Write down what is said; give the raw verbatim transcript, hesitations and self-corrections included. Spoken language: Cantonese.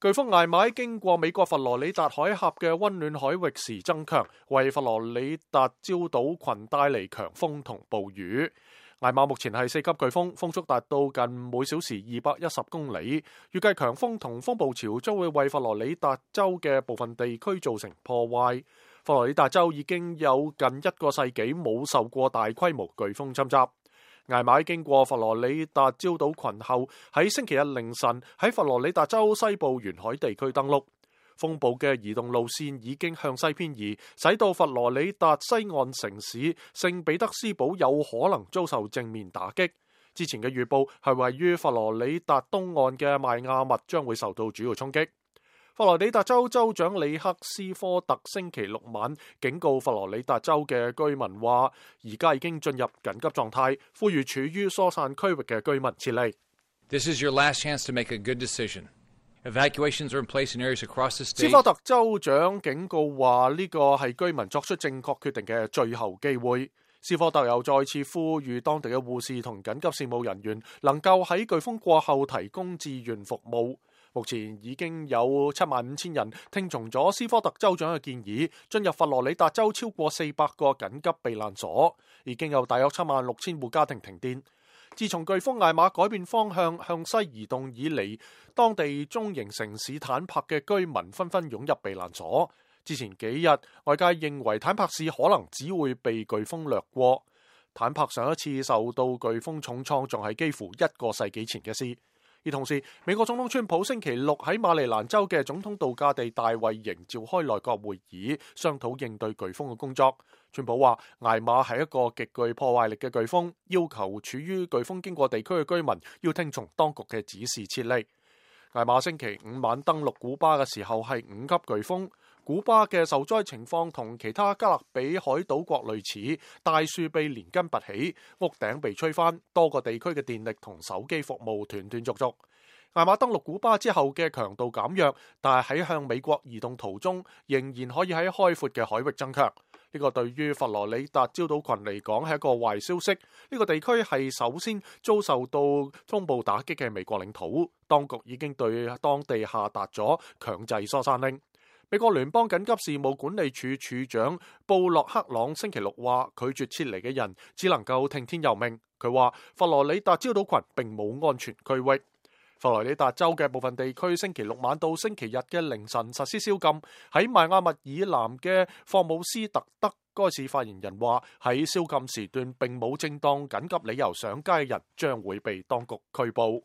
颶風艾瑪經過美國佛羅里達海峽嘅溫暖海域時增強，為佛羅里達礁島群帶嚟強風同暴雨。艾瑪目前係四級颶風，風速達到近每小時二百一十公里。預計強風同風暴潮將會為佛羅里達州嘅部分地區造成破壞。佛羅里達州已經有近一個世紀冇受過大規模颶風侵襲。艾瑪經過佛羅里達礁島群後，喺星期日凌晨喺佛羅里達州西部沿海地區登陸。風暴嘅移動路線已經向西偏移，使到佛羅里達西岸城市聖彼得斯堡有可能遭受正面打擊。之前嘅預報係位於佛羅里達東岸嘅邁阿密將會受到主要衝擊。佛羅里達州州長里克斯科特星期六晚警告佛羅里達州嘅居民話，而家已經進入緊急狀態，呼籲處於疏散區域嘅居民撤離。This is your last chance to make a good decision. Evacuations are in place in areas across the state. 斯科特州長警告話，呢個係居民作出正確決定嘅最後機會。斯科特又再次呼籲當地嘅護士同緊急事務人員能夠喺颶風過後提供志願服務。目前已經有七萬五千人聽從咗斯科特州長嘅建議，進入佛羅里達州超過四百個緊急避難所，已經有大約七萬六千戶家庭停電。自從颶風艾瑪改變方向向西移動以嚟，當地中型城市坦帕嘅居民紛紛湧入避難所。之前幾日，外界認為坦帕市可能只會被颶風掠過。坦帕上一次受到颶風重創，仲係幾乎一個世紀前嘅事。而同時，美國總統川普星期六喺馬里蘭州嘅總統度假地大衛營召開內閣會議，商討應對颶風嘅工作。川普話艾瑪係一個極具破壞力嘅颶風，要求處於颶風經過地區嘅居民要聽從當局嘅指示撤離。艾瑪星期五晚登陸古巴嘅時候係五級颶風。古巴嘅受災情況同其他加勒比海島國類似，大樹被連根拔起，屋頂被吹翻，多個地區嘅電力同手機服務斷斷續續。艾瑪登陸古巴之後嘅強度減弱，但係喺向美國移動途中，仍然可以喺開闊嘅海域增強。呢個對於佛羅里達礁島群嚟講係一個壞消息。呢個地區係首先遭受到風暴打擊嘅美國領土，當局已經對當地下達咗強制疏散令。美國聯邦緊急事務管理處處長布洛克朗星期六話，拒絕撤離嘅人只能夠聽天由命。佢話佛羅里達礁島群並冇安全區域。佛羅里達州嘅部分地區星期六晚到星期日嘅凌晨實施宵禁。喺邁阿密以南嘅霍姆斯特德，該市發言人話喺宵禁時段並冇正當緊急理由上街嘅人將會被當局拘捕。